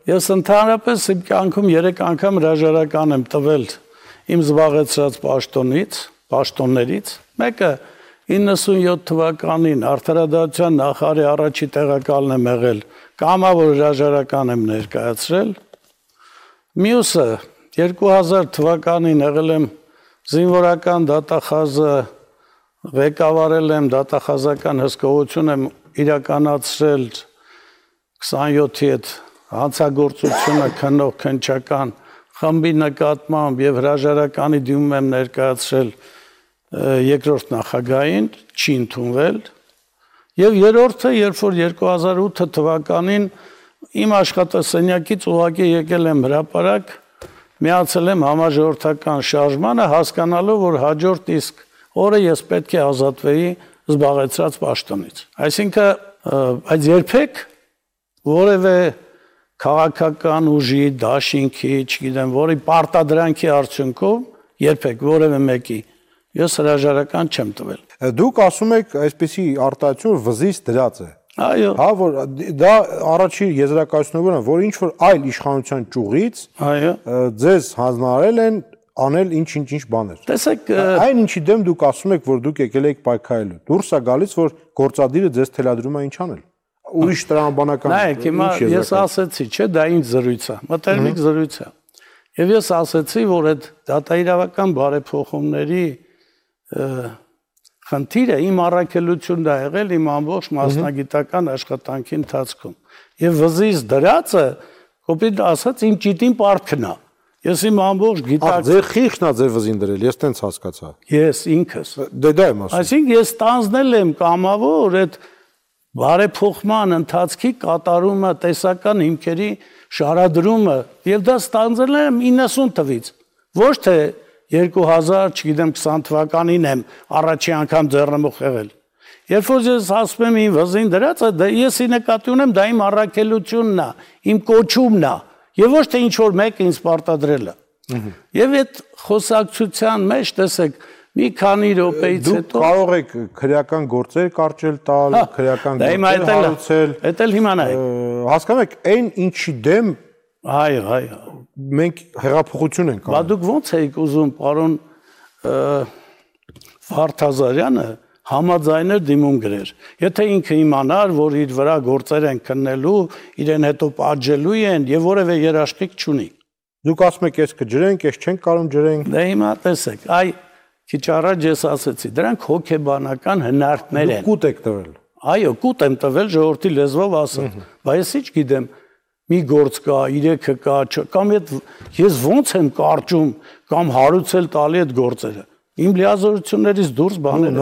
Ես ընդհանրապես իմ կյանքում 3 անգամ հրաժարական եմ տվել իմ զբաղեցրած պաշտոններից, մեկը 97 թվականին Արդարադատության նախարարի առաջի տեղակալն եմ եղել, կամավոր հրաժարական եմ ներկայացրել, մյուսը 2000 թվականին եղել եմ զինվորական դատախազը, ղեկավարել եմ դատախազական հսկողություն եմ իրականացրել 27-ի հետ հանցագործությունը քննող քննչական խմբի նկատմամբ եւ հրաժարականի դիմում եմ ներկայացրել երկրորդ նախագահին, չի ընդունվել եւ երրորդը, երբ որ 2008 թվականին իմ աշխատասենյակից ուղղակի եկել եմ հրապարակ, միացել եմ համաժողովրդական շարժմանը, հասկանալով, որ հաջորդ իսկ օրը ես պետք է ազատվեի զբաղեցրած պաշտոնից։ Այսինքն, այդ երբեք որևէ քաղաքական ուժի, դաշինքի, չգիտեմ, որի պարտադրանքի արդյունքով երբեք որևէ մեկի ես հրաժարական չեմ տվել։ Դուք ասում եք այսպեսի արտահայտություն վզից դրած է։ Այո։ Հա, որ դա առաջի եզրակացությունն է, որ ինչ որ այլ իշխանության ճյուղից ձեզ հանձնարարել են անել ինչ բաներ։ Տեսեք, այն ինչի դեմ դուք ասում եք, որ դուք եկել եք պայքարելու։ Դուրս է գալիս, որ գործադիրը ձեզ թելադրում է ինչ անել։ Ուրիշ տրամաբանական։ Նայեք, հիմա ես ասեցի, չէ, դա ինձ զրույց է, մտերմիկ զրույց է։ Եվ ես ասեցի, որ այդ դատաիրավական բարեփոխումների խնդիրը իմ առաքելությունն է եղել իմ ամբողջ մասնագիտական աշխատանքի ընթացքում։ Եվ վզից դրածը, կոպիտ ասած, իմ ճիտին պարտքն է։ Ես իմ ամբողջ գիտակ։ Ձեր խիղճն է ձեր վզին դրել, ես տենց հասկացա։ Ես ինքս։ Դա եմ ասում։ Այսինքն ես տանձնել եմ կամավոր այդ բարեփոխման ընթացքի կատարումը, տեսական հիմքերի շարադրումը, եւ դա ստանձնել եմ 90 թվից։ Ոչ թե 2000, չգիտեմ, 20 թվականին եմ առաջի անգամ ձեռնմուխ եղել։ Երբ որ ես ասում եմ իմ վզին դրածը, դա ես նկատի ունեմ, դա իմ առաքելությունն է, իմ կոչումն է, եւ ոչ թե ինչ որ մեկը ինձ պարտադրել է։ Եվ այդ խոսակցության մեջ, տեսեք, մի քանի րոպեից հետո դուք կարող եք քրեական գործեր կարճել տալ, քրեական գործեր հարուցել։ Դա էլ հիմա նայեք։ Հասկանում եք, այն ինչի դեմ այո, մենք հեղափոխություն ենք անում։ Բա դուք ո՞նց եք ուզում, պարոն Վարդազարյանը համաձայներ դիմում գրեր։ Եթե ինքը իմանար, որ իր վրա գործեր են քննելու, իրեն հետո պատժելու են եւ որևէ երաշխիք չունի։ Դուք ասում եք, ես կջրենք, ես չենք կարող ջրենք։ Դե հիմա տեսեք, այ քիչ առաջ ես ասեցի, դրանք հոգեբանական հնարքներ են։ Դուք կուտ եք տվել։ Այո, կուտ եմ տվել ժողովրդի լեզվով ասած։ Բայց ես ինչ գիտեմ, մի գործ կա, 3-ը կա, կամ ես ոնց եմ կարճում կամ հարուցել տալի այդ գործերը։ Իմ լիազորություններից դուրս բաներ